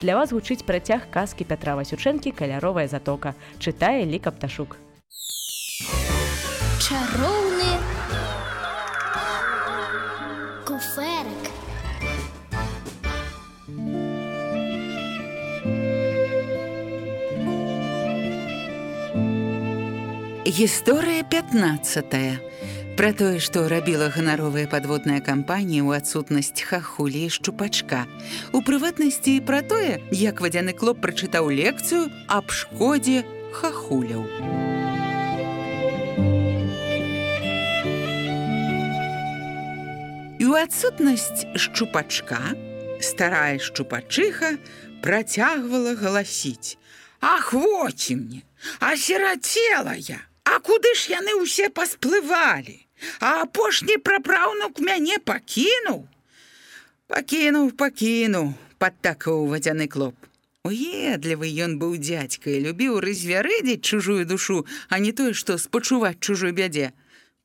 Для вас гучыць працяг казкі Пятра Васючэнкі «Каляровая затока». Чытае Ліка Пташук. Чароўны куфэрак. Гісторыя 15. Пра тое, што рабіла ганаровая падводная кампанія ў адсутнасць хахулі і шчупачка. У прыватнасці і пра тое, як вадзяны клоп прачытаў лекцыю аб шкодзе хахуляў. І ў адсутнасць шчупачка старая шчупачыха працягвала галасіць: «Ах, воці мне, асірацела я! А куды ж яны ўсе пасплывалі? А апошні прапраўнук мяне пакінуў?» Пакінуў, падтакаў вадзяны клоп. Уедлівы ён быў дзядзька і любіў развярэдзіць чужую душу, а не тое, што спачуваць чужой бядзе.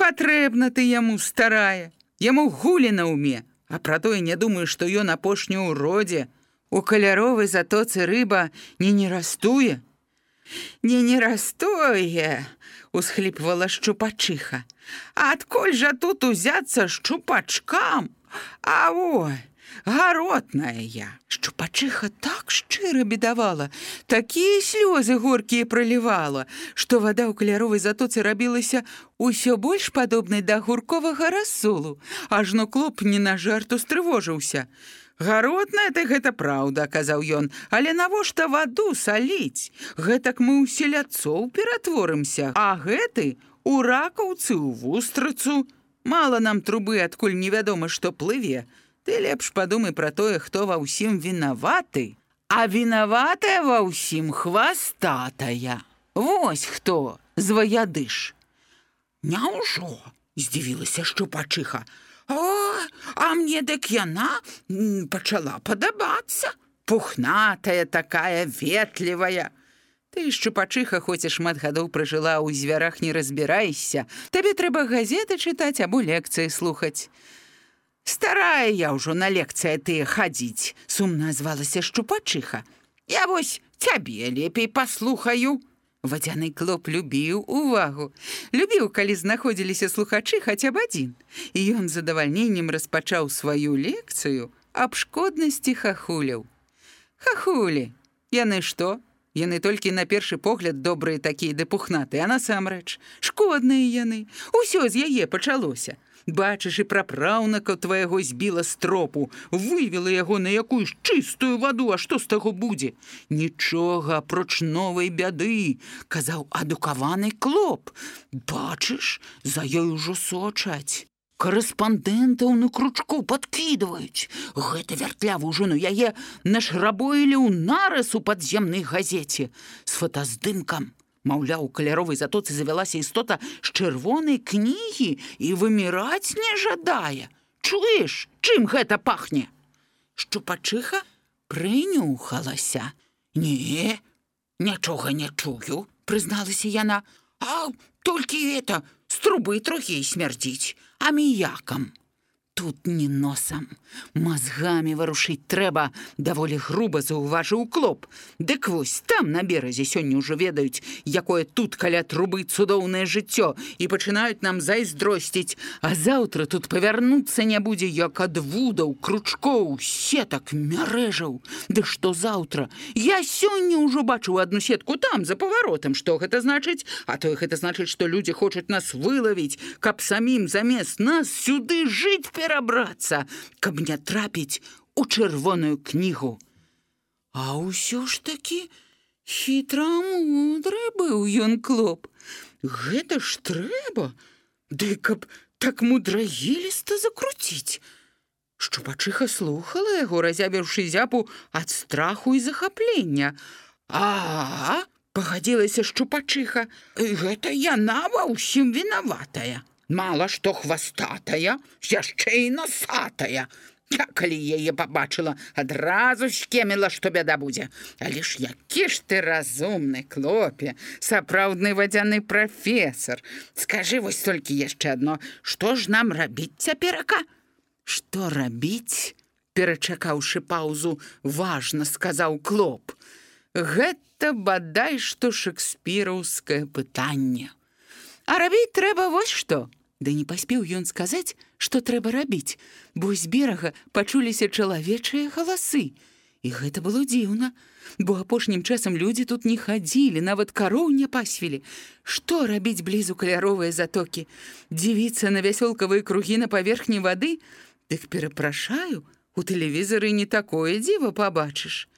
Патрэбна ты яму, старая, яму гулі на ўме, а пра тое не думаю, што ён апошні ў родзе. У каляровай затоцы рыба не растуе. Не растуе, усхліпвала шчупачыха. Адкуль жа тут узяцца шчупачкам? А ой, гаротная я. Шчупачыха так шчыра бедавала, такія слёзы горкія пралівала, што вада ў каляровай затоцы рабілася ўсё больш падобнай да гурковага рассолу, ажно клоп не на жарт устрывожыўся. «Гаротная ты, гэта праўда», — казаў ён, «але навошта ваду саліць? Гэтак мы ў селядцоў ператворымся, а гэты у ракаўцы, у вустрыцу. Мала нам трубы, адкуль невядома, што плыве. Ты лепш падумай пра тое, хто ва ўсім вінаваты. А вінаватая ва ўсім хвастатая. Вось хто, зваядыш». «Няўжо?» — здзівілася шчупачыха. А мне дык яна пачала падабацца. Пухнатая такая, ветлівая. Ты, шчупачыха, хоць і шмат гадоў пражыла, у звярах не разбірайся. Табе трэба газеты чытаць або лекцыі слухаць. «Старая я ўжо на лекцыі тыя хадзіць», — сумна азвалася шчупачыха. «Я вось цябе лепей паслухаю». Вадзяны клоп любіў увагу. Любіў, калі знаходзіліся слухачы хаця б адзін. І ён з задавальненнем распачаў сваю лекцыю аб шкоднасці хахуляў. Хахулі, яны што? Яны толькі на першы погляд добрыя такія ды пухнатыя, а насамрэч шкодныя яны. Усё з яе пачалося. Бачыш, і прапраўніка твайго збіла з тропу, вывела яго на якуюсь чыстую ваду, а што з таго будзе? Нічога, апроч новай бяды, казаў адукаваны клоп. Бачыш, за ёй ужо сочаць. Карэспандэнтаў на кручку падкідваюць. Гэта вяртлявую жыну яе нашрабоілі ў нарыс у падземнай газеце з фотаздымкам. Маўляў, у каляровай затоцы завялася істота з чырвонай кнігі і выміраць не жадае. Чуеш, чым гэта пахне? Шчупачыха прынюхалася. «Не, нічога не чую», — прызналася яна. «А толькі з трубы трохі смярдзіць, аміякам». «Тут не носам, мазгамі варушыць трэба», — даволі груба заўважыў клоп. «Дык вось, там на беразе сёння ўжо ведаюць, якое тут каля трубы цудоўнае жыццё, і пачынаюць нам зайздросціць, а заўтра тут павярнуцца не будзе, як ад вудаў, кручкоў, сетак, мярэжаў. Ды што заўтра? Я сёння ўжо бачыў адну сетку там, за паваротам. Што гэта значыць? А то гэта значыць, што людзі хочуць нас вылавіць, каб самім замест нас сюды жыць перабрацца, каб не трапіць у чырвоную кнігу». А ўсё ж такі хітрамудры быў ён клоп. Гэта ж трэба, ды каб так мудрагеліста закруціць. Шчупачыха слухала яго, разявіўшы зябу ад страху і захаплення. «А, пагадзілася шчупачыха, гэта яна ва ўсім вінаватая. Мала што хвастатая, яшчэ і носатая. Я, калі яе пабачыла, адразу скеміла, што бяда будзе. Але ж які ж ты разумны, клопе, сапраўдны вадзяны прафесар. Скажы вось толькі яшчэ адно, што ж нам рабіць цяперака?» «Што рабіць? перачакаўшы паўзу, важна сказаў Клоп. Гэта бадай што шекспіраўскае пытанне. А рабіць трэба вось што. Ды не паспеў ён сказаць, што трэба рабіць, бо з берага пачуліся чалавечыя галасы. І гэта было дзіўна, бо апошнім часам людзі тут не хадзілі, нават кароў не пасвілі. Што рабіць блізу каляровыя затокі? Дзівіцца на вясёлкавыя кругі на паверхні вады? Дык перапрашаю, у тэлевізары не такое дзіва пабачыш.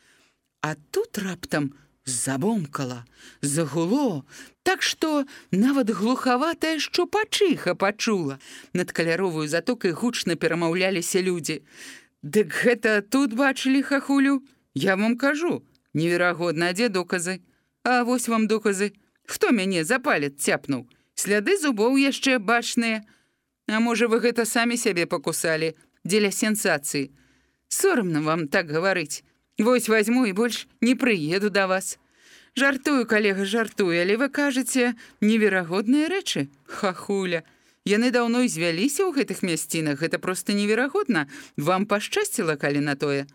А тут раптам забомкала, загуло, так што нават глухаватая шчупачыха пачула. Над каляровую затокай гучна перамаўляліся людзі. Дык гэта тут бачылі, хахулю? Я вам кажу, неверагодна, а дзе доказы? А вось вам доказы. Хто мяне за палец цяпнуў? Сляды зубоў яшчэ бачныя. А можа, вы гэта самі сябе пакусалі дзеля сенсацыі? Сорамна вам так гаварыць. Вось вазьму і больш не прыеду да вас. Жартую, калега, жартую, але вы кажаце неверагодныя рэчы, хахуля. Яны даўно і звяліся ў гэтых мясцінах, гэта проста неверагодна. Вам пашчасціла, калі на тое.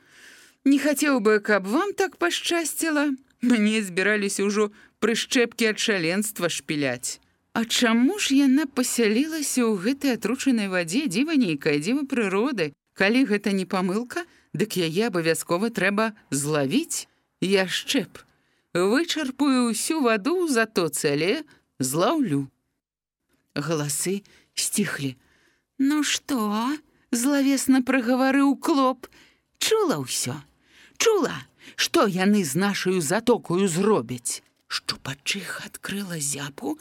Не хацеў бы, каб вам так пашчасціла. Мне збіраліся ўжо прышчэпкі ад шаленства шпіляць. А чаму ж яна пасялілася ў гэтай атручанай вадзе, дзіва нейкая, дзіва прыроды? Калі гэта не памылка, дык яе абавязкова трэба злавіць. Я шчэп. Вычарпую ўсю ваду ў затоцы, але злаўлю. Галасы сціхлі. Ну што? Злавесна прагаварыў Клоп. Чула ўсё. Чула, што яны з нашаю затокою зробяць. Шчупачыха адкрыла зяпу,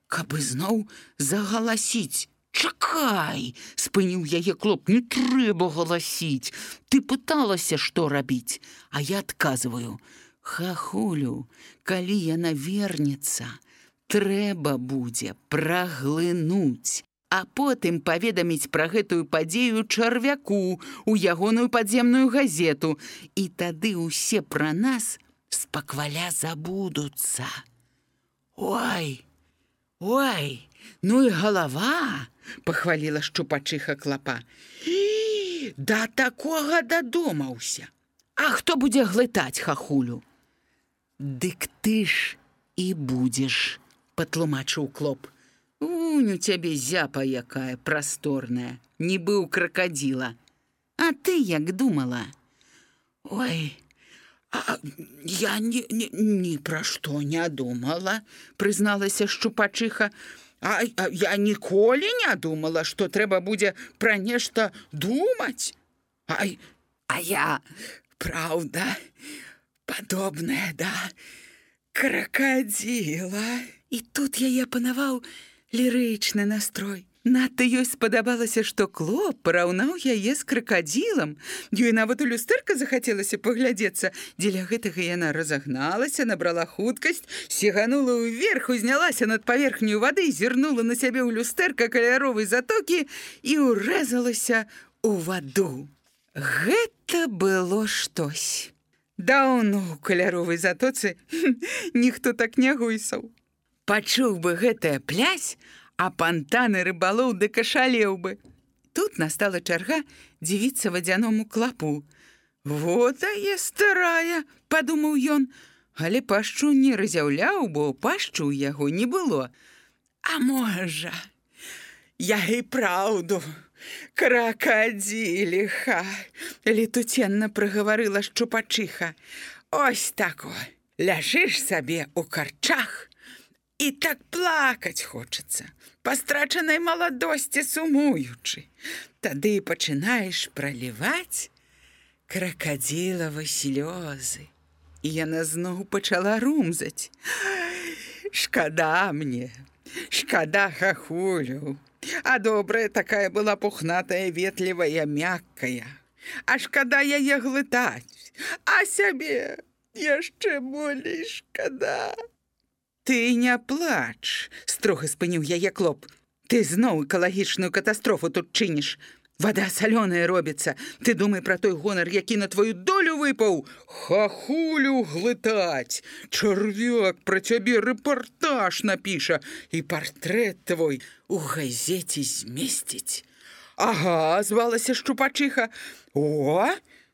каб ізноў загаласіць. Чакай, спыніў яе Клоп, не трэба галасіць. Ты пыталася, што рабіць, а я адказваю. Хахулю, калі яна вернецца, трэба будзе праглынуць, а потым паведаміць пра гэтую падзею чарвяку ў ягоную падземную газету, і тады ўсе пра нас спакваля забудуцца. Ой, ой, ну і галава, пахваліла шчупачыха Клопа. І, да такога дадумаўся. А хто будзе глытаць, хахулю? Дык ты ж і будзеш, патлумачыў Клоп. Унь у цябе зяпа якая прасторная, нібы ў кракадзіла. А ты як думала? Ой, я ні пра што не думала, прызналася шчупачыха. А я ніколі не думала, што трэба будзе пра нешта думаць. А я, праўда, падобная да кракадзіла. І тут яе панаваў лірычны настрой. Надта ёй спадабалася, што Клоп параўнаў яе з кракадзілам. Ёй нават у люстэрка захацелася паглядзецца. Дзеля гэтага яна разагналася, набрала хуткасць, сіганула ўверх, узнялася над паверхню вады, зірнула на сябе ў люстэрка каляровай затокі і ўрэзалася ў ваду. Гэта было штось. Даўно ў каляровай затоцы ніхто так не гуйсаў. Пачуў бы гэтая плясь, а пантаны рыбалоў дык ашалеў бы. Тут настала чарга дзівіцца вадзяному Клопу. «Вот тая старая», – падумаў ён, але пашчу не разяўляў, бо пашчу ў яго не было. «А можа, я і праўду кракадзіліха», – летуценна прагаварыла шчупачыха. «Ось тако, ляжыш сабе ў карчах, і так плакаць хочацца, па страчанай маладосці сумуючы. Тады пачынаеш праліваць кракадзілавы слёзы». І яна зноў пачала румзаць. «Шкада мне, шкада хахулю, а добрая такая была пухнатая, ветлівая, мяккая. А шкада яе глытаць, а сябе яшчэ болей шкада». «Ты не плач», – строга спыніў яе Клоп. «Ты зноў экалагічную катастрофу тут чыніш. Вада салёная робіцца. Ты думай пра той гонар, які на твою долю выпаў. Хахулю глытаць. Чарвяк пра цябе рэпартаж напіша і партрэт твой у газеце змесціць. Ага, звалася шчупачыха. О,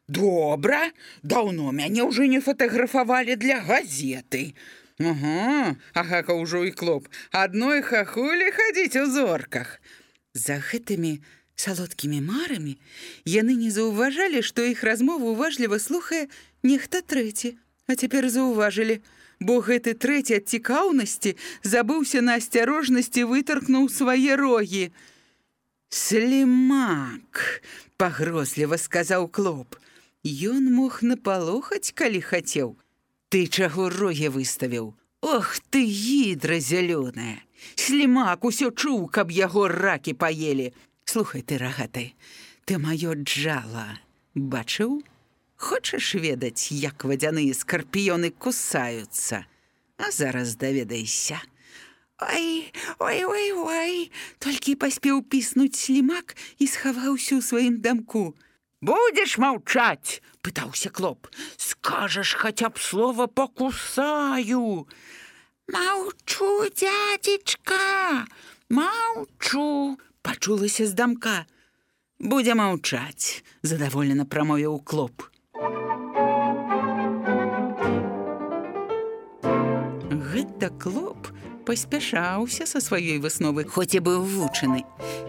добра, даўно мяне ўжо не фатаграфавалі для газеты. Ага, агака ўжо і Клоп. Адной хахулі хадзіць у зорках. За гэтымі салодкімі марамі яны не заўважалі, што іх размову уважліва слухае нехта трэці. А цяпер заўважылі, бо гэты трэці ад цікаўнасці забыўся на асцярожнасці, вытаркнуў свае рогі. «Слімак!» – пагрозліва сказаў Клоп. Ён мог напалохаць, калі хацеў. «Ты чаго рогі выставіў? Ох ты, гідра зялёная! Слімак усё чуў, каб яго ракі паелі. Слухай ты, рагаты, ты маё джала бачыў? Хочаш ведаць, як вадзяныя скарпіёны кусаюцца? А зараз даведайся». «Ой, ой, ой, ой!» Толькі паспеў піснуць Слімак і схаваўся ў сваім дамку. «Будзеш маўчаць?» – пытаўся Клоп. «Скажаш хаця б слова «покусаю». «Маўчу, дзядзечка, маўчу!» – пачулася з дамка. «Будзе маўчаць», – задаволена прамовіў Клоп. Гэта Клоп паспяшаўся са сваёй высновы, хоць і быў вучаны.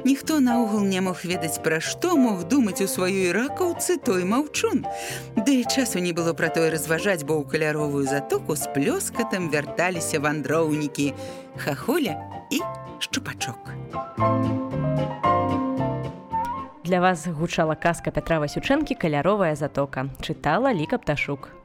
Ніхто наогул не мог ведаць, пра што мог думаць у сваёй ракаўцы той маўчун. Да і часу не было пра тое разважаць, бо ў каляровую затоку з плёскатам вярталіся вандроўнікі Хахуля і Шчупачок. Для вас гучала казка Пятра Васючэнкі «Каляровая затока». Чытала Ліка Пташук.